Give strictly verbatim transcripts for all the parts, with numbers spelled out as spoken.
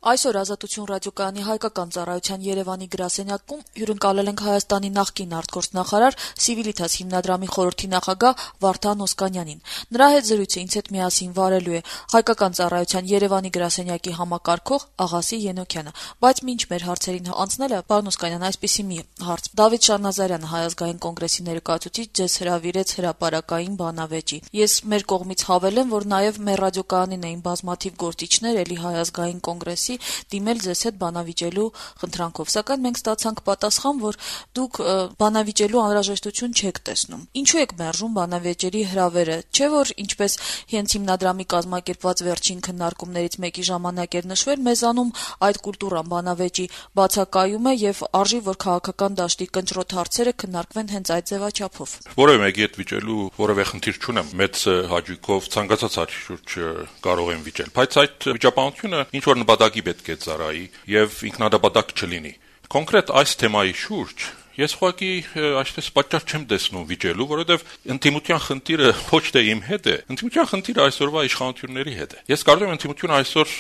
Այսօր Ազատություն ռադիոկայանի հայկական ծառայության Երևանի գրասենյակում հյուրընկալել ենք Հայաստանի նախկին արտգործնախարար Civitas հիմնադրամի խորհրդի նախագահ Վարդան Օսկանյանին։ Նրա հետ զրույցը ինձ հետ միասին վարելու է հայկական ծառայության Երևանի գրասենյակի համակարգող Աղասի Ենոքյանը։ Բայց մինչ մեր հարցերին անցնելը, պարոն Օսկանյան, այսպիսի մի հարց. Դավիթ Շանազարյանը Հայ ազգային կոնգրեսի ներկայացուցիչ ձեզ հրավիրեց հրապարակային բանավեճի։ Ես մեր կողմից հավելեմ, որ նաև մեր ռադիոկայանին էին բազմաթիվ գործիչներ էլի Հայ ազգային կոնգրեսի դիմել ձեզ հետ բանավիճելու խնդրանքով, սակայն մենք ստացանք պատասխան, որ դուք բանավիճելու անհրաժեշտություն չեք տեսնում։ Ինչու եք մերժում բանավեճերի հրավերը, չէ՞ որ ինչպես հենց հիմնադրամի կազմակերպված վերջին քննարկումներից մեկի ժամանակ էր նշվել, մեզանում այդ կուլտուրան բանավեճի բացակայում է եւ արժի, որ քաղաքական դաշտի կնճռոտ հարցերը քննարկվեն հենց այդ ձևաչափով։ Որևէ մեկի հետ վիճելու որևէ խնդիր չունեմ, մեծ հաճույքով ցանկացած հարցի շուրջ կարող եմ վիճել, բայց այդ վիճաբանությունը ինչ որ նպատակի պետք է ծառայի եւ ինքնադապատակ չլինի։ Կոնկրետ այս թեմայի շուրջ ես ուղղակի այսպես պատճառ չեմ տեսնում վիճելու, որովհետեւ ինտիմության խնդիրը ոչ թե իմ հետ է, ինտիմության խնդիրը այսօրվա իշխանությունների հետ է։ Ես կարծում եմ ինտիմությունը այսօր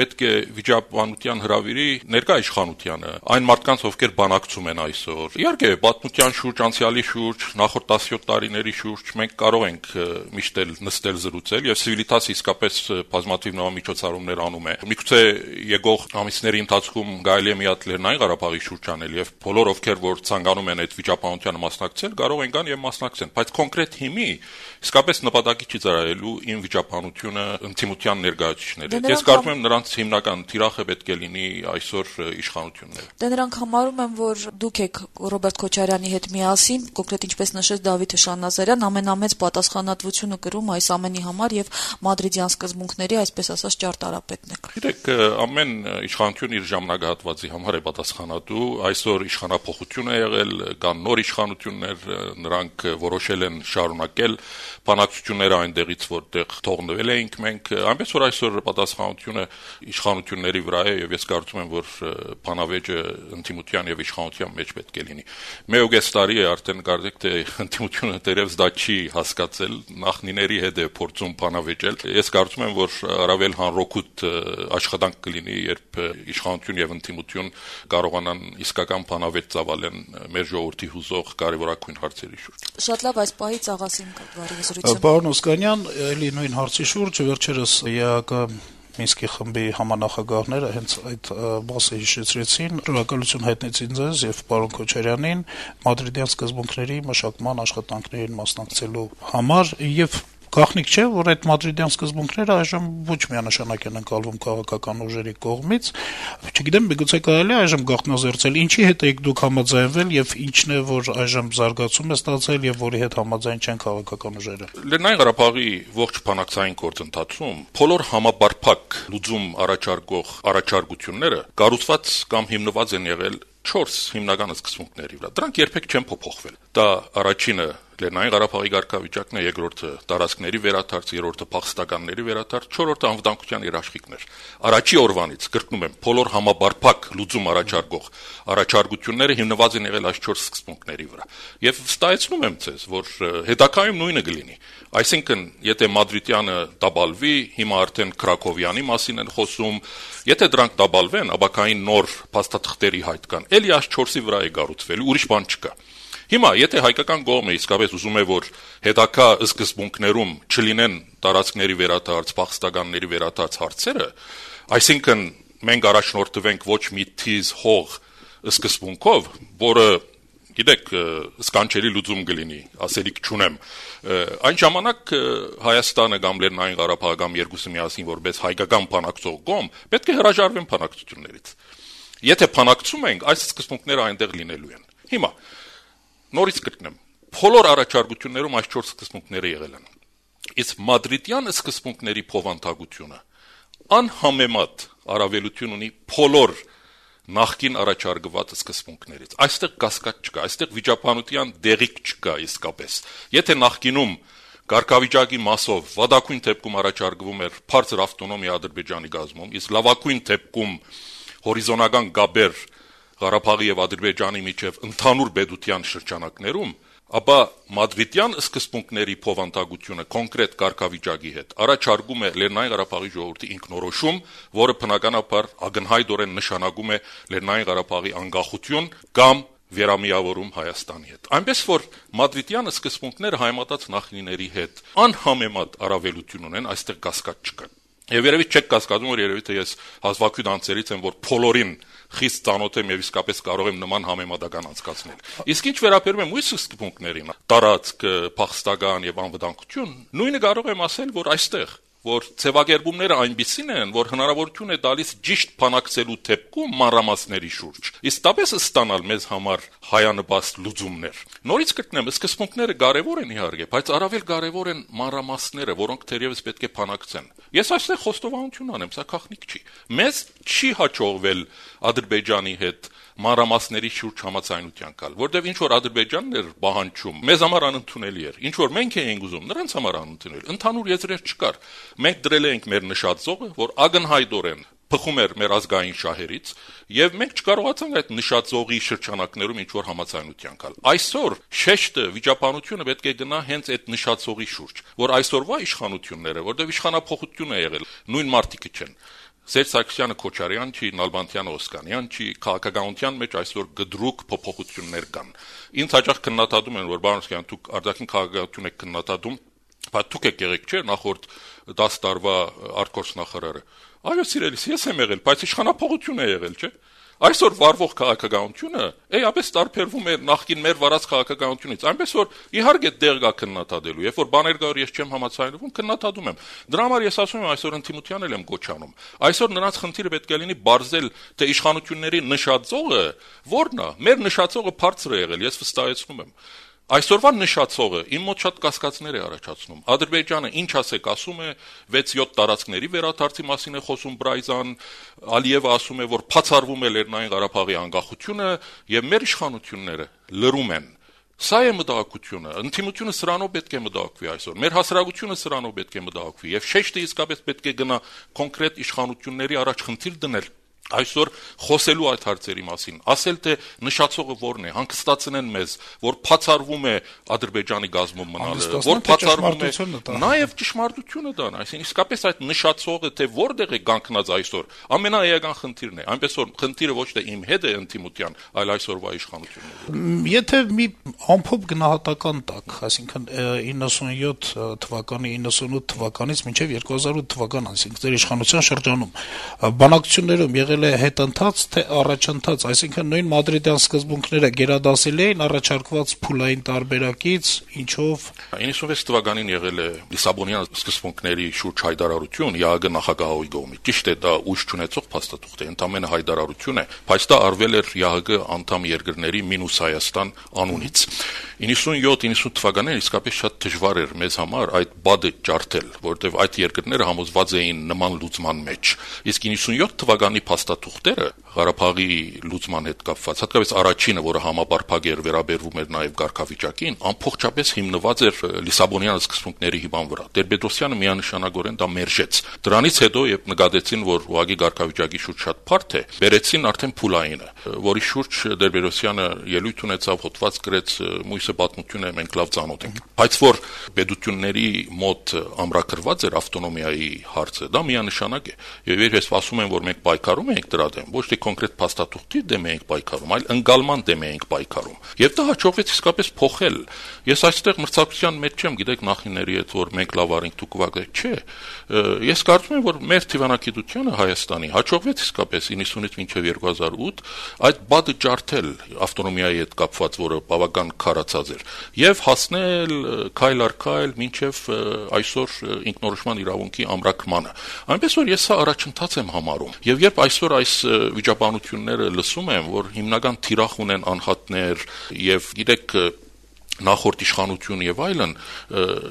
պետք է վիճաբանության հրավիրի ներկա իշխանությանը, այն մարդկանց, ովքեր բանակցում են այսօր։ Իհարկե, պատմության շուրջ, անցյալի շուրջ, նախորդ տասնյոթ տարիների շուրջ մենք կարող ենք միշտ էլ նստել զրուցել եւ Civitas իսկապես բազմաթիվ նոր միջոցառումներ անում է։ Միգուցե եկող ամիսների ընթացքում կարելի է մի հատ Լեռնային Ղարաբաղի շուրջ անել եւ բոլոր ովքեր որ ցանկանում են այդ վիճաբանությանը մասնակցել, կարող են գան եւ մասնակցեն, բայց կոնկրետ հիմի իսկապես նպատակի չի ծառայելու իմ վիճաբանությունը ինտիմության ներկայացուցիչները։ Ես կարծում եմ նրանց հիմնական թիրախը պետք է լինի այսօր իշխանությունները։ Դե նրանք համարում են, որ դուք եք Ռոբերտ Քոչարյանի հետ միասին, կոնկրետ ինչպես նշեց Դավիթ Շանազարյան, ամենամեծ պատասխանատվությունը կրում այս ամենի համար եւ մադրիդյան սկզբունքների, այսպես ասած, ճարտարապետն եք։ Գիտեք, ամեն իշխանություն իր ժամանակահատվածի համար է պատասխանատու, այսօր իշխանափոխություն է եղել, կան նոր իշխանություններ, նրանք որոշել են շարունակել բանակցությունները այնտեղից, որտեղ թողնվել էինք մենք, այնպես որ այսօր պատասխանատվությունը իշխանությունների վրա է եւ ես կարծում եմ, որ բանավեճը ինտիմության եւ իշխանության մեջ պետք է լինի։ Մեկ տարի է արդեն կարծեք թե ինտիմությունը դերևս դա չի հասկացել, նախնիների հետ է փորձում բանավեճել։ Ես կարծում եմ, որ առավել հանրօգուտ աշխատանք կլինի, երբ իշխանություն եւ ինտիմություն կարողանան իսկական բանավեճ ծավալեն մեր ժողովրդի հուզող կարևորագույն հարցերի շուրջ։ Շատ լավ, այս պահից Աղասին կվարի զրույցը։ Պարոն Օսկանյան, ելի նույն հարցի շուրջ վերջերս ԵԱԿ Մինսկի խմբի համանախագահները հենց այդ մասը հիշեցրեցին, շնորհակալություն հայտնեցին ձեզ եւ պարոն Քոչարյանին մադրիդյան սկզբունքների մշակման աշխատանքներին մասնակցելու համար եւ Գաղտնիք չէ, որ այդ մադրիդյան սկզբունքները այժմ ոչ միանշանակ են ընկալվում քաղաքական ուժերի կողմից, չգիտեմ, միգուցե կարելի է այժմ գաղտնազերծել, ինչի հետ եք դուք համաձայնվել եւ ինչն է, որ այժմ զարգացում է ստացել եւ որի հետ համաձայն չեն քաղաքական ուժերը։ Լեռնային Ղարաբաղի ողջ բանակցային գործընթացում բոլոր համաբարփակ լուծում առաջարկող առաջարկությունները կառուցված կամ հիմնված են եղել չորս հիմնական սկզբունքների վրա։ Դրանք երբեք չեն փոփոխվել։ Դա առաջինը Լեռնային Ղարաբաղի կարգավիճակն է, երկրորդը տարածքների վերադարձ, երրորդը փախստականների վերադարձ, չորրորդը անվտանգության երաշխիքներ։ Առաջի օրվանից կրկնում եմ, բոլոր համաբարփակ լուծում առաջարկող առաջարկությունները հիմնված են եղել այս չորս սկզբունքների վրա։ Եվ վստահեցնում եմ ձեզ, որ հետագայում նույնը կլինի։ Այսինքն, եթե Մադրիդյանը դաբալվի, հիմա արդեն Քրակովյանի մասին են խոսում, եթե դրանք դաբալվեն, ապակային նոր փաստաթղթերի հայտ կան, էլի այս չորսի վրա է կառուցվել, ուրիշ բան չկա։ Հիմա, եթե հայկական կողմը իսկապես ուզում է, որ հետագա սկզբունքներում չլինեն տարածքների վերադարձ, փախստականների վերադարձ հարցերը, այսինքն մենք առաջնորդվենք ոչ մի թիզ հող սկզբունքով, որը գիտեք, սկանչելի լուծում կլինի, ասելիք չունեմ։ Այն ժամանակ Հայաստանը կամ Լեռնային Ղարաբաղը կամ երկուսը միասին որպես հայկական բանակցող կողմ պետք է հրաժարվեն բանակցություններից։ Եթե բանակցում ենք, այս սկզբունքները այնտեղ լինելու են։ Հիմա նորից կրկնեմ, բոլոր առաջարկություններում այս չորս սկզբունքները եղել են։ Իսկ մադրիդյան սկզբունքների փոխանցագությունը անհամեմատ առավելություն ունի բոլոր նախկին առաջարկված սկզբունքներից։ Այստեղ կասկած չկա, այստեղ վիճաբանության դեղիկ չկա իսկապես։ Եթե նախկինում կարգավիճակի մասով վատագույն դեպքում առաջարկվում էր բարձր ավտոնոմիա Ադրբեջանի գազում, իսկ լավագույն դեպքում հորիզոնական գաբեր Ղարաբաղի եւ Ադրբեջանի միջև ընդհանուր պետության շրջանակներում, ապա մադրիդյան սկզբունքների փոխանցությունը կոնկրետ կարգավիճակի հետ առաջարկում է Լեռնային Ղարաբաղի ժողովրդի ինքնորոշում, որը բնականաբար ակնհայտորեն նշանակում է Լեռնային Ղարաբաղի անկախություն կամ վերամիավորում Հայաստանի հետ։ Այնպես որ մադրիդյան սկզբունքները հայմատած նախնիների հետ անհամեմատ առավելություն ունեն, այստեղ կասկած չկա։ Եվ երևի չեք կասկածում, որ երևի թե ես հազվագյուտ անձերից եմ, որ բոլորին խիստ ծանոթ եմ եւ իսկապես կարող եմ նման համեմատական անցկացնել։ Իսկ ինչ վերաբերում է մյուս սկզբունքներին, տարածք, փախստական եւ անվտանգություն, նույնը կարող եմ ասել, որ այստեղ որ ձևակերպումները այնպիսին են, որ հնարավորություն է տալիս ճիշտ բանակցելու դեպքում մանրամասների շուրջ։ Իսկապես ստանալ մեզ համար հայանպաստ լուծումներ։ Նորից կգտնեմ, սկզբունքները կարևոր են իհարկե, բայց առավել կարևոր են մանրամասները, որոնք թերևս պետք է բանակցեն։ Ես այստեղ խոստովանություն անեմ, սա գաղտնիք չի։ Մեզ չի հաջողվել Ադրբեջանի հետ մանրամասների շուրջ համաձայնության գալ, որտեղ ինչ որ Ադրբեջանն էր պահանջում, մեզ համար անընդունելի էր։ Ինչ որ մենք էինք ուզում, նրանց համար անընդունելի։ Ընդհանուր եզրեր չկար։ Մենք դրել ենք մեր նշածողը, որ ակնհայտորեն փխում էր մեր ազգային շահերից, եւ մենք չկարողացանք այդ նշածողի շրջանակներում ինչ որ համաձայնության գալ։ Այսօր շեշտը վիճաբանությունը պետք է գնա հենց այդ նշածողի շուրջ, որ այսօրվա իշխանությունները, որտեղ իշխանափոխություն է եղել, նույն մարտիկը չեն։ Սերժ Սարգսյանը Քոչարյան չի, Նալբանդյանը Օսկանյան չի, քաղաքականության մեջ այսօր գդրուկ փոփոխություններ կան։ Ինձ հաճախ քննադատում են, որ Բարոնսկյան դուք արտաքին քաղաքականություն եք քննադատում, բայց դուք եք եղեք, չէ՞, նախորդ դաս տարվա արտգործնախարարը։ Այո, սիրելիս, ես եմ եղել, բայց իշխանափոխություն է եղել, չէ՞։ Այսօր վարվող քաղաքականությունը էապես տարբերվում է նախկին մեր վարած քաղաքականությունից, այնպես որ իհարկե դեղ կա քննադատելու, երբ որ բաներ կա, որ ես չեմ համաձայնվում, քննադատում եմ։ Դրա համար ես ասում եմ, այսօր ընդդիմության էլ եմ գոչանում։ Այսօր նրանց խնդիրը պետք է լինի բարձել, թե իշխանությունների նշածողը ո՞րն է։ Մեր նշածողը բարձր է եղել, ես վստահեցնում եմ։ Այսօրվա նշածողը իմ մոտ շատ կասկածներ է առաջացնում։ Ադրբեջանը ինչ ասեք ասում է, վեց-յոթ տարածքների վերադարձի մասին է խոսում Բրայզան, Ալիևը ասում է, որ բացառվում է Լեռնային Ղարաբաղի անկախությունը, եւ մեր իշխանությունները լռում են։ Սա է մտահոգությունը, ընդդիմությունը սրանով պետք է մտահոգվի այսօր, մեր հասարակությունը սրանով պետք է մտահոգվի, եւ շեշտը իսկապես պետք է գնա կոնկրետ իշխանությունների առաջ խնդիր դնել։ Այսօր խոսելու այդ հարցերի մասին, ասել թե նշածողը որն է, հանգստացնեն մեզ, որ բացառվում է Ադրբեջանի գազმում մնալը, որ բացառվում է նաև ճշմարտությունը դան, այսինքն իսկապես այդ նշածողը թե որտեղ է կանգնած այսօր, ամենաէական խնդիրն է, այնպես որ խնդիրը ոչ թե իմ հետ է ընդդիմության, այլ այսօրվա իշխանությունների։ Եթե մի ամփոփ գնահատական տակ, այսինքն իննսունյոթ թվականի, իննսունութ թվականից մինչև երկու հազար ութ թվական, այսինքն ձեր իշխանության շրջանում բանակցություններում եղել է հետընթաց, թե առաջընթաց, այսինքն նույն մադրիդյան սկզբունքները գերադասել էին առաջարկված փուլային տարբերակից, ինչով իննսունվեց թվականին եղել է Լիսաբոնյան սկզբունքների շուրջ հայտարարություն ԵԱՀԿ նախագահի կողմից։ Ճիշտ է, դա ուժ չունեցող փաստաթուղթ է, ընդամենը հայտարարություն է, բայց դա արվել էր ԵԱՀԿ անդամ երկրների մինուս Հայաստան անունից։ իննսունյոթ իննսունութ թվականներին իսկապես շատ դժվար էր մեզ համար այդ բադը ջարդել, որովհետև այդ երկրները համոզված էին նման լուծման մեջ։ Իսկ իննսունյոթ թվականի փաստաթուղթերը Ղարաբաղի լուծման հետ կապված, հատկապես առաջինը, որը համապարփակ էր, վերաբերվում էր նաև կարգավիճակին, ամբողջապես հիմնված էր Լիսաբոնյան սկզբունքների հիման վրա։ Տեր-Պետրոսյանը միանշանակորեն դա մերժեց։ Դրանից հետո, երբ նկատեցին, որ ուղղակի կարգավիճակի շուրջ շատ բարդ է, բերեցին արդեն փուլայինը, որի շուրջ Տեր-Պետրոսյանը ելույթ ունեցավ, հոդված գրեց, մույսը պատմություն է, մենք լավ ծանոթ ենք։ Բայց որ պետությունների մոտ ամրագրված էր ավտոնոմիայի հարցը, դա միանշանակ է։ Եվ ես ասում եմ, որ մենք պայքարում ենք դրա դեմ, ոչ թե կոնկրետ փաստաթուղթի դեմ ենք պայքարում, այլ ընկալման դեմ ենք պայքարում։ Եվ դա հաջողվեց իսկապես փոխել։ Ես այստեղ մրցակցության մեջ չեմ, գիտեք, նախինների հետ, որ մենք լավ արինք, դուք կվագեք, չէ։ Ես կարծում եմ, որ մեր թիվանակետությանը Հայաստանի հաջողվեց իսկապես իննսունից մինչև երկու հազար ութ այդ բադը ջարդել ավտոնոմիայի հետ կապված, որը բավական քարացած էր, եւ հասնել քայլ առ քայլ մինչև այսօր ինքնորոշման իրավունքի ամրագրմանը։ Այնպես որ ես սա առաջընթաց եմ համարում։ Եվ երբ այսօր այս վիճաբանությունները լսում եմ, որ հիմնական թիրախ ունեն անհատներ եւ գիտեք նախորդ իշխանություն եւ այլն,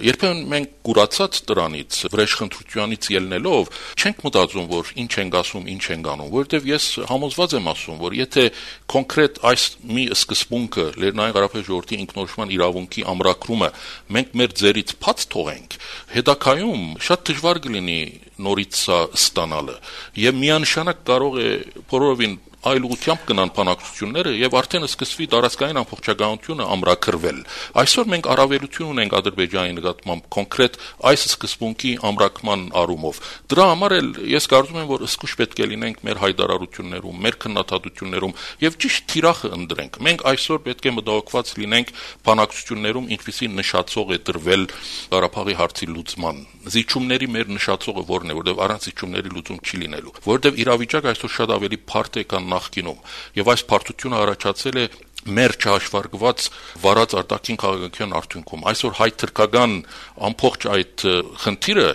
երբեմն մենք կուրացած դրանից, վրեժխնդրությանից ելնելով, չենք մտածում, որ ինչ ենք ասում, ինչ ենք անում, որովհետեւ ես համոզված եմ ասում, որ եթե կոնկրետ այս մի սկզբունքը Լեռնային Ղարաբաղի ժողովրդի ինքնորոշման իրավունքի ամրագրումը մենք մեր ձեռից փած թողենք, հետագայում շատ դժվար կլինի նորից սա ստանալը եւ միանշանակ կարող է բոլորովին այլ ուղղությամբ գնան բանակցությունները եւ արդեն սկսվի տարածքային ամբողջականությունը ամրագրվել։ Այսօր մենք առավելություն ունենք Ադրբեջանի նկատմամբ կոնկրետ այս սկզբունքի ամրագրման առումով։ Դրա համար էլ ես կարծում եմ, որ ըսկուշ պետք է լինենք մեր հայտարարություններում, մեր քննադատություններում եւ ճիշտ թիրախը ընդրենք։ Մենք այսօր պետք է մտահոգված լինենք բանակցություններում, ինչպիսի նշածող է դրվել Ղարաբաղի հարցի լուծման։ Զիջումների մեր նշածողը որն է, որտեղ առանց զիջումների լուծում չի լինելու, որտեղ իրավիճակը այսօր շատ ավելի բարդ է քան նախկինում, եւ այս բարդությունը առաջացել է մեր չհաշվարկված վարած արտաքին քաղաքական արդյունքում։ Այսօր հայ-թրքական ամբողջ այդ խնդիրը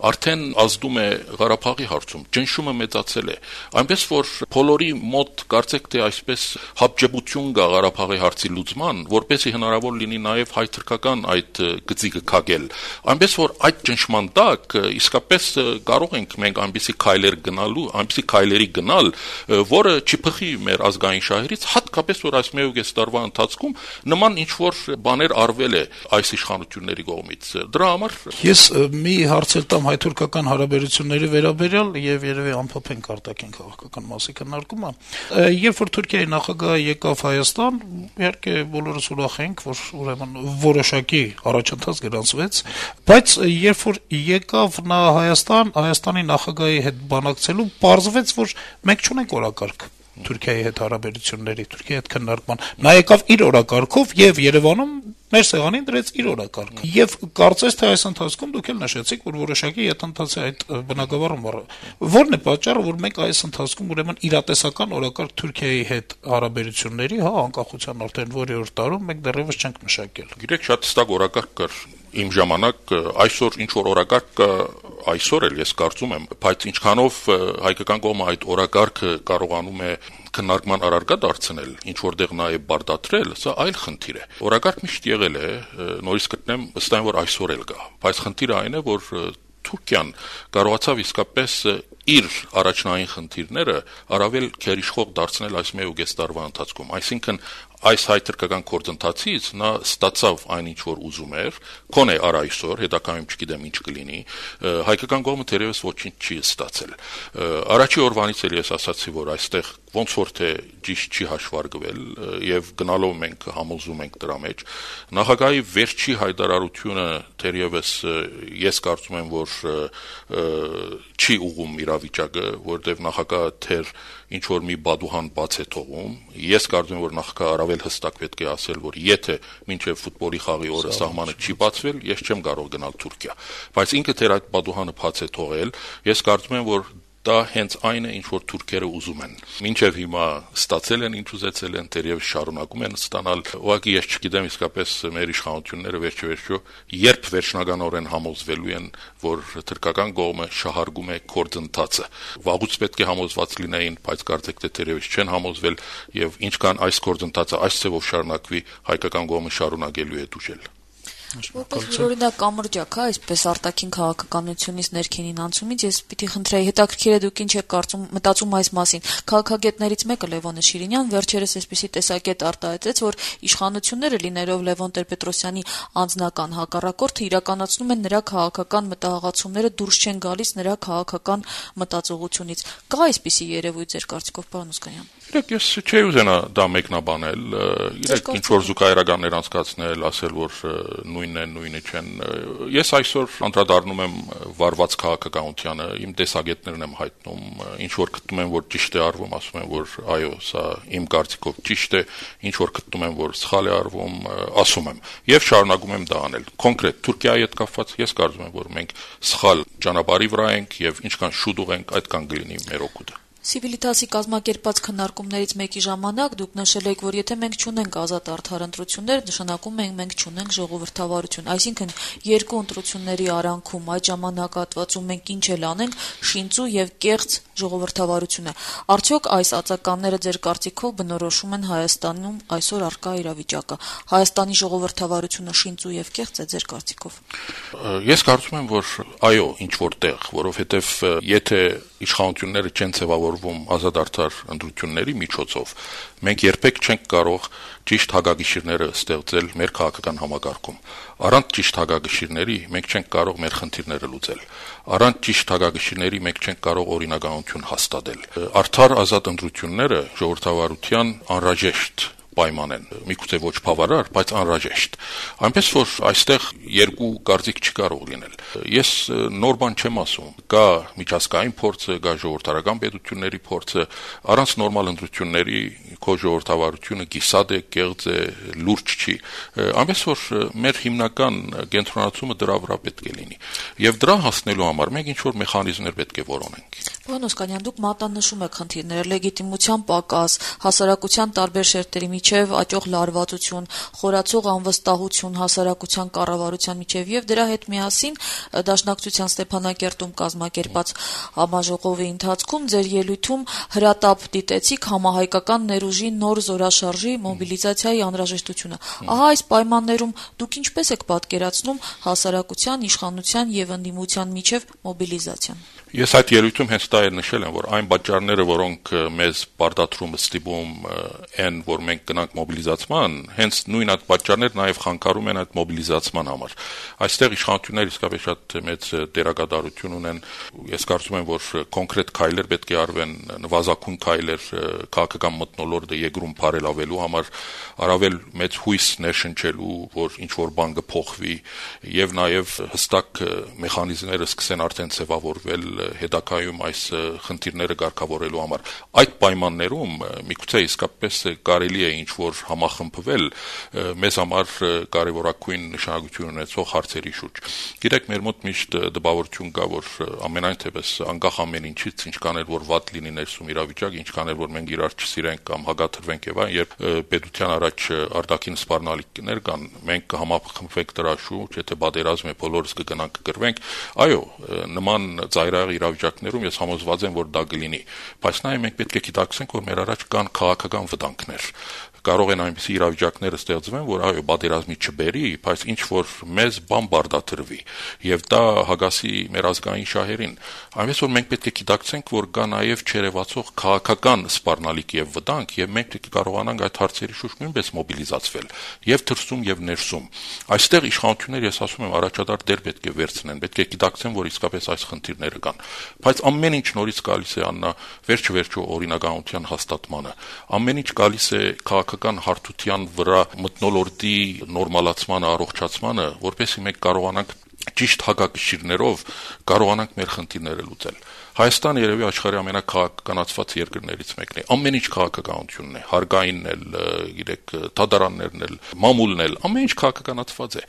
արդեն ազդում է Ղարաբաղի հարցում, ճնշումը մեծացել է, այնպես որ բոլորի մոտ կարծեք թե այսպես հապճեպություն կա Ղարաբաղի հարցի լուծման, որպեսզի հնարավոր լինի նաև հայ-թրքական այդ գծիկը քագել, այնպես որ այդ ճնշման տակ իսկապես կարող ենք մենք այնպիսի քայլեր գնալու, այնպիսի քայլերի գնալ, որը չփխի մեր ազգային շահերից, հատկապես որ այս մեկ տարվա ընթացքում նման ինչ-որ բաներ արվել է այս իշխանությունների կողմից։ Դրա համար ես մի հարց էլ տամ հայ-թուրքական հարաբերությունների վերաբերյալ եւ երևի ամփոփենք արտաքին քաղաքական մասի քննարկումը։ Երբ որ Թուրքիայի նախագահը եկավ Հայաստան, իհարկե բոլորս ուրախ ենք, որ ուրեմն որոշակի առաջընթաց գրանցվեց, բայց երբ որ եկավ նա Հայաստան, Հայաստանի նախագահի հետ բանակցելու, պարզվեց, որ մենք չունենք օրակարգ Թուրքիայի հետ հարաբերությունների, Թուրքիայի հետ քննարկման։ Նա եկավ իր օրակարգով եւ Երևանում մեր սեղանին դրեց իր օրակարգը։ Եվ կարծես թե այս ընթացքում դուք էլ նշեցիք, որ որոշակի յետընթաց է այդ բնակավարում։ Որն է պատճառը, որ մենք այս ընթացքում ուրեմն իրատեսական օրակարգ Թուրքիայի հետ հարաբերությունների, հա, անկախության արդեն որի օր տարում մենք դեռևս չենք մշակել։ Գիտեք, շատ հստակ օրակարգ կար իմ ժամանակ, այսօր ինչ որ օրակարգ կա, այսօր էլ ես կարծում եմ, բայց ինչքանով հայկական կողմը այդ օրակարգը կարողանում է քննարկման առարկա դարձնել, ինչ որտեղ նաև բարդատրել, սա այլ խնդիր է։ Օրակարգ միշտ եղել է, նորից գտնեմ, ըստ այն, որ այսօր էլ կա, բայց խնդիրը այն է, որ Թուրքիան կարողացավ իսկապես իր առաջնային խնդիրները առավել քերիշխող դարձնել այս մեկ ու կես տարվա ընթացքում, այսինքն այս հայ-թուրքական գործընթացից նա ստացավ այն ինչ որ ուզում էր, քոնե առ այսօր, հետագայում չգիտեմ ինչ կլինի, հայկական կողմը թերևս ոչինչ չի ստացել։ Առաջի օրվանից էլ ես ասացի, որ այստեղ ոնց որ թե ճիշտ չի հաշվարկվել եւ գնալով մենք համոզում ենք դրա մեջ։ Նախագահի վերջի հայտարարությունը թերևս ես կարծում եմ, որ չի ուղղում իրավիճակը, որտեղ նախագահը թեր ինչ որ մի բադուհան բաց է թողում։ Ես կարծում եմ, որ նախագահը առավել հստակ պետք է ասել, որ եթե մինչև ֆուտբոլի խաղի օրը սահմանը չի բացվել, ես չեմ կարող գնալ Թուրքիա։ Բայց ինքը թեր այդ բադուհանը բաց է թողել, ես կարծում եմ, որ դա հենց այն է, ինչ որ թուրքերը ուզում են։ Մինչև հիմա ստացել են, ինչ ուզեցել են, թերևս շարունակում են ստանալ։ Ուղղակի ես չգիտեմ իսկապես մեր իշխանությունները վերջեվերջո երբ վերջնականորեն համոզվելու են, որ թուրքական կողմը շահարկում է գործընթացը։ Վաղուց պետք է համոզված լինեին, բայց կարծեք թե թերևս չեն համոզվել եւ ինչքան այս գործընթացը այս ծավով շարունակվի, հայկական կողմը շարունակելու է դուժել։ Որպես օրինակ կամրջակ, հա, այսպես արտաքին քաղաքականությունից ներքինին անցումից ես պիտի խնդրեի, հետաքրքիր է դուք ինչ եք կարծում, մտածում այս մասին։ Քաղաքագետներից մեկը Լևոնը Շիրինյան վերջերս այսպիսի տեսակետ արտահայտեց, որ իշխանությունները լինելով Լևոն Տեր-Պետրոսյանի անձնական հակառակորդը իրականացնում են նրա քաղաքական մտահղացումները դուրս չեն գալիս նրա քաղաքական մտածողությունից։ Կա այսպիսի երևույթ ձեր կարծիքով, պարոն Օսկանյան։ Իրեք ես չէի ուզենա դա մեկնաբանել, իրեք ինչ որ զուգահեռականներ անցկացնել, ասել, որ նույնն են, նույնը չեն։ Ես այսօր անդրադառնում եմ վարված քաղաքականությանը, իմ տեսակետներն եմ հայտնում, ինչ որ գտնում եմ, որ ճիշտ է արվում, ասում եմ, որ այո, սա իմ կարծիքով ճիշտ է, ինչ որ գտնում եմ, որ սխալ է արվում, ասում եմ, եւ շարունակում եմ դա անել։ Կոնկրետ Թուրքիայի հետ կապված ես կարծում եմ, որ մենք սխալ ճանապարհի վրա ենք եւ ինչքան շուտ ուղենք, այդքան կլինի մեր օգուտը։ Սիվիլիտասի կազմակերպած քննարկումներից մեկի ժամանակ դուք նշել եք, որ եթե մենք չունենք ազատ արդար ընտրություններ, նշանակում է մենք չունենք ժողովրդավարություն, այսինքն երկու ընտրությունների արանքում այդ ժամանակահատվածում մենք ինչ էլ անենք, շինծու եւ կեղծ ժողովրդավարություն է։ Արդյոք այս ածականները ձեր կարծիքով բնորոշում են Հայաստանում այսօր առկա իրավիճակը։ Հայաստանի ժողովրդավարությունը շինծու եւ կեղծ է ձեր կարծիքով։ Ես կարծում եմ, որ այո, ինչ որտեղ, որովհետեւ եթե իշխանությունները չեն ձևավորվում ազատ արդար ընտրությունների միջոցով, մենք երբեք չենք կարող ճիշտ հագագիշիրները ստեղծել մեր քաղաքական համակարգում։ Առանց ճիշտ հագագիշիրների մենք չենք կարող մեր խնդիրները լուծել։ Առանց ճիշտ հագագիշիրների մենք չենք կարող օրինականություն իշխանություն հաստատել։ Արդար ազատ ընտրությունները ժողովրդավարության անհրաժեշտ պայման են, միգուցե ոչ բավարար, բայց անհրաժեշտ։ Այնպես որ այստեղ երկու կարծիք չկարող լինել։ Ես նոր բան չեմ ասում, կա միջազգային փորձը, կա ժողովրդարական պետությունների փորձը, առանց նորմալ ընտրությունների քո ժողովրդավարությունը կիսատ է, կեղծ է, լուրջ չի։ Այնպես որ մեր հիմնական կենտրոնացումը դրա վրա պետք է լինի։ Եվ դրա հասնելու համար մենք ինչ-որ մեխանիզմներ պետք է որոնենք։ Պարոն Օսկանյան, դուք մատանշում եք խնդիրները, լեգիտիմության պակաս, հասարակության տարբեր շերտերի միջև աճող լարվածություն, խորացող անվստահություն հասարակության կառավարության միջև եւ դրա հետ միասին Դաշնակցության Ստեփանակերտում կազմակերպած համաժողովի ընթացքում ձեր ելույթում հրատապ դիտեցիք համահայկական ներուժի նոր զորաշարժի մոբիլիզացիայի անհրաժեշտությունը։ Ահա այս պայմաններում դուք ինչպես եք պատկերացնում հասարակության, իշխանության եւ ընդդիմության միջև մոբիլիզացիան։ Ես այդ ելույթում հենց դա էլ նշել եմ, որ այն պատճառները, որոնք մեզ բարդատրում ստիպում են, որ մենք գնանք մոբիլիզացման, հենց նույն այդ պատճառները նաև խանգարում են այդ մոբիլիզացման համար։ Այստեղ իշխանությունները իսկապես շատ մեծ դերակատարություն ունեն։ Ես կարծում եմ, որ կոնկրետ քայլեր պետք է արվեն, նվազագույն քայլեր քաղաքական մթնոլորտը եգրում բարելավելու համար, առավել մեծ հույս ներշնչելու, որ ինչ որ բան կփոխվի, եւ նաև հստակ մեխանիզմները սկսեն արդեն ձևավորվել հետագայում այս խնդիրները կարգավորելու համար։ Այդ պայմաններում միգուցե իսկապես կարելի է ինչ-որ համախմբվել մեզ համար կարևորագույն նշանակություն ունեցող հարցերի շուրջ։ Գիտեք, մեր մոտ միշտ դպավորություն կա, որ ամենայն թեպս անկախ ամեն ինչից, ինչքան էլ որ վատ լինի ներսում իրավիճակը, ինչքան էլ որ մենք իրար չսիրենք կամ հագաթրվենք եւ այն, երբ պետության առաջ արտաքին սպառնալիքներ կան, մենք կհամախմբվենք դրա շուրջ, եթե պատերազմ է, բոլորս կգնանք կգրվենք, այո, նման ծայրահեղ իրավիճակներում ես համոզված եմ, որ դա կլինի, բայց նաև մենք պետք է գիտակցենք, որ մեր առաջ կան քաղաքական վտանգներ։ Կարող են այնպիսի իրավիճակներ ստեղծվեն, որ այո, պատերազմի չբերի, բայց ինչ որ մեզ բան բարդատրվի, եւ դա հագասի մեր ազգային շահերին։ Այնպես որ մենք պետք է գիտակցենք, որ կա նաև չերևացող քաղաքական սպառնալիք եւ վտանգ, եւ մենք պետք է կարողանանք այդ հարցերի շուրջ նույնպես մոբիլիզացվել, եւ դրսում եւ ներսում։ Այստեղ իշխանությունները, ես ասում եմ, առաջադար դեր պետք է վերցնեն, պետք է գիտակցեն, որ իսկապես այս խնդիրները կան։ Բայց ամեն ինչ նորից գալիս է աննա վերջ-վերջո օրինականության հաստատմանը։ Ամեն ինչ գալիս է քաղաքական հարթության վրա մթնոլորտի նորմալացմանը, առողջացմանը, որպեսզի մենք կարողանանք ճիշտ հակակշիռներով կարողանանք մեր խնդիրները լուծել։ Հայաստանը երևի աշխարհի ամենակաղաքականացված երկրներից մեկն է։ Ամեն ինչ քաղաքականությունն է, հարգայինն էլ, գիտեք, դատարաններն էլ, մամուլն էլ, ամեն ինչ քաղաքականացված է։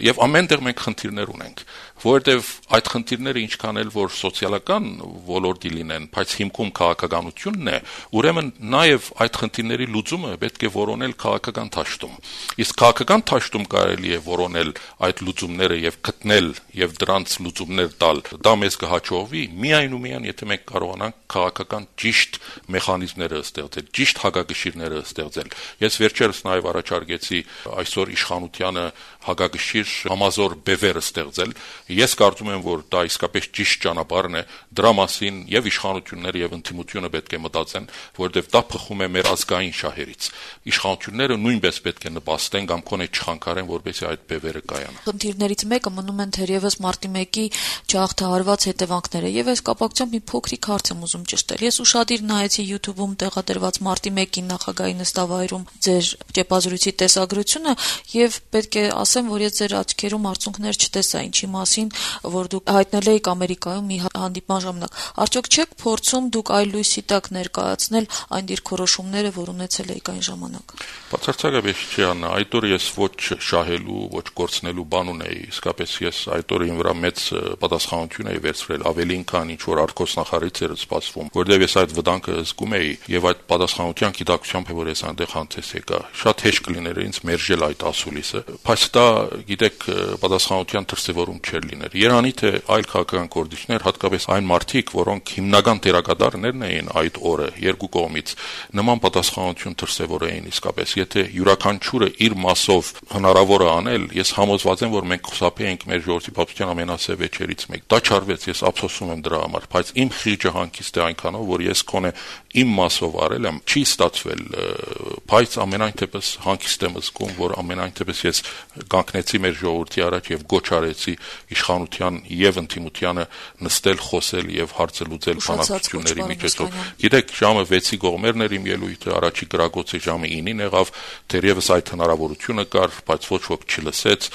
Եվ ամենտեղ մենք խնդիրներ ունենք, որովհետև այդ խնդիրները ինչքան էլ որ սոցիալական ոլորտի լինեն, բայց հիմքում քաղաքականությունն է, ուրեմն նաև այդ խնդիրների լուծումը պետք է որոնել քաղաքական դաշտում։ Իսկ քաղաքական դաշտում կարելի է որոնել այդ լուծումները եւ գտնել եւ դրանց լուծումներ տալ։ Դա մեզ կհաջողվի միայն ու միայն եթե մենք կարողանանք քաղաքական ճիշտ մեխանիզմները ստեղծել, ճիշտ հակակշիռները ստեղծել։ Ես վերջերս նաև առաջարկեցի այսօր իշխանությանը հակակշիռ համազոր բևեր ստեղծել։ Ես կարծում եմ, որ դա իսկապես ճիշտ ճանապարհն է, դրա մասին եւ իշխանությունները եւ ընդդիմությունը պետք է մտածեն, որովհետեւ դա փխում է մեր ազգային շահերից։ Իշխանությունները նույնպես պետք է նպաստեն կամ կոնե չխանգարեն, որպեսզի այդ բևերը կայանան։ Խնդիրներից մեկը մնում են թերևս մարտի մեկի չհաղթահարված հետևանքները, եւ այս կապակցությամբ մի փոքրիկ հարց եմ ուզում ճշտել։ Ես ուշադիր նայեցի YouTube-ում տեղադրված մարտի մեկին նախագահի նստավայրում ձեր ճեպազրույցի տեսագրությունը եւ պետք է ասեմ, որ ես ձեր աչքերում արցունքներ չտեսա, ինչի մասին, որ դուք հայտնել եք Ամերիկայում մի հանդիպման ժամանակ։ Արդյոք չեք փորձում դուք այլ լույսի տակ ներկայացնել այն դիրքորոշումները, որ ունեցել եք այն ժամանակ։ Բացարձակապես չի անա, այդ օրը ես ոչ շահելու, ոչ կորցնելու բան ունեի, իսկապես ես այդ օրը ինձ վրա մեծ պատասխանատվություն էի վերցրել, ավելին քան ինչ որ արկոսնախարարից էր սպասվում, որովհետև ես այդ վտանգը զգում էի եւ այդ պատասխանատվության գիտակցությամբ է որ ես այնտեղ հանդես եկա։ Շատ հեշտ կլիներ ինձ մերժել այդ ասուլիսը, բայց դա, գիտեք, պատասխանատվության դրսևորում չէր լիներ։ Երանի թե այլ քաղաքական գործիչներ, հատկապես այն մարդիկ, որոնք հիմնական դերակատարներն էին այդ օրը երկու կողմից, նման պատասխանատվություն դրսևորեին իսկապես։ Եթե յուրաքանչյուրը իր մասով հնարավոր է անել, ես համոզված եմ, որ մենք խուսափեինք մեր ժողովրդի պատմության ամենասև վեճերից մեկ։ Դա չարվեց, ես ափսոսում եմ դրա համար, բայց բայց իմ խիղճը հանգիստ է այնքանով, որ ես քոնե իմ մասով արել եմ, չի ստացվել, բայց ամենայն դեպս հանգիստ եմ զգում, որ ամենայն դեպս ես կանգնեցի մեր ժողովրդի առաջ եւ գոչ արեցի իշխանության եւ ընդդիմությանը նստել, խոսել եւ հարցը լուծել բանակցությունների միջոցով։ Գիտեք, ժամը վեցի կողմերն էր իմ ելույթը, առաջի գրագոցը ժամը ինին եղավ, դեռևս այդ հնարավորությունը կար, բայց ոչ ոք չլսեց,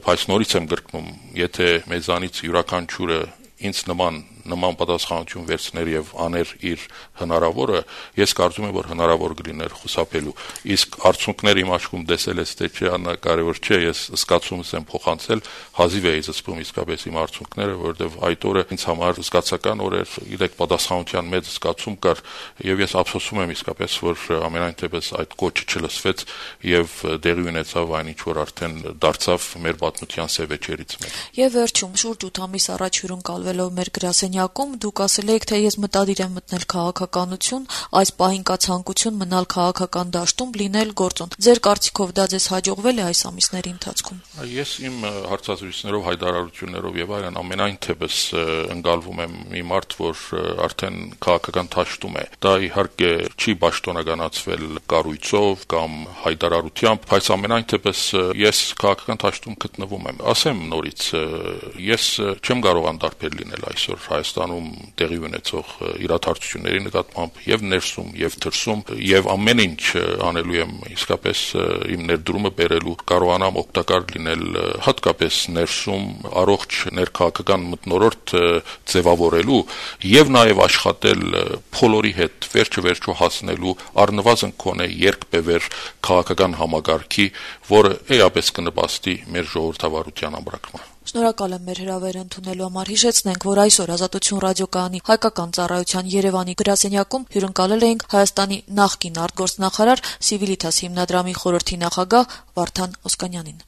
բայց նորից եմ գրկնում, եթե մեզանից յուրաքանչյուրը ինձ նման նման պատասխանատվություն վերցներ եւ աներ իր հնարավորը, ես կարծում եմ, որ հնարավոր կլիներ խուսափելու։ Իսկ արդյունքները իմ աչքում տեսել ես թե չէ, անկարևոր չէ, ես զգացումս եմ փոխանցել, հազիվ էի զսպում իսկապես իմ արդյունքները, որովհետեւ այդ օրը ինձ համար զգացական օր էր, իրեք պատասխանատվության մեծ զգացում կար եւ ես ափսոսում եմ իսկապես, որ ամենայն դեպս այդ կոչը չլսվեց եւ դեղի ունեցավ այն ինչ որ արդեն դարձավ մեր պատմության սևեջերից մեկը։ Եվ վերջում շուրջ ութ ամիս առաջ հյուրընկալվելով մեր գրասենյակում դուք ասել եք, թե ես մտադիր եմ մտնել քաղաքականություն, այս պահին կա ցանկություն մնալ քաղաքական դաշտում, լինել գործոն։ Ձեր կարծիքով դա ձեզ հաջողվել է այս ամիսների ընթացքում։ Ես իմ հարցազրույցներով, հայտարարություններով եւ այլն ամենայն թեպս ընկալվում եմ մի մարդ, որ արդեն քաղաքական դաշտում է։ Դա իհարկե չի պաշտոնականացվել կառույցով կամ հայտարարությամբ, բայց ամենայն թեպս ես քաղաքական դաշտում գտնվում եմ։ Ասեմ նորից, ես չեմ կարող անդարբեր լինել այսօր Հայաստանում տեղի ունեցող իրադարձությունների նկատմամբ եւ ներսում եւ դրսում եւ ամեն ինչ անելու եմ իսկապես իմ ներդրումը բերելու կարողանամ օգտակար լինել հատկապես ներսում առողջ ներքաղաքական մթնոլորտ ձևավորելու եւ նաեւ աշխատել բոլորի հետ վերջը վերջո հասնելու առնվազն կոնե երկբևեր քաղաքական համագարքի, որը էապես կնպաստի մեր ժողովրդավարության ամրակմանը։ Շնորհակալ եմ մեր հրավերը ընդունելու համար։ Հիշեցնենք, որ այսօր Ազատություն ռադիոկայանի հայկական ծառայության Երևանի գրասենյակում հյուրընկալել էինք Հայաստանի նախկին արտգործնախարար Civitas հիմնադրամի խորհրդի նախագահ Վարդան Օսկանյանին։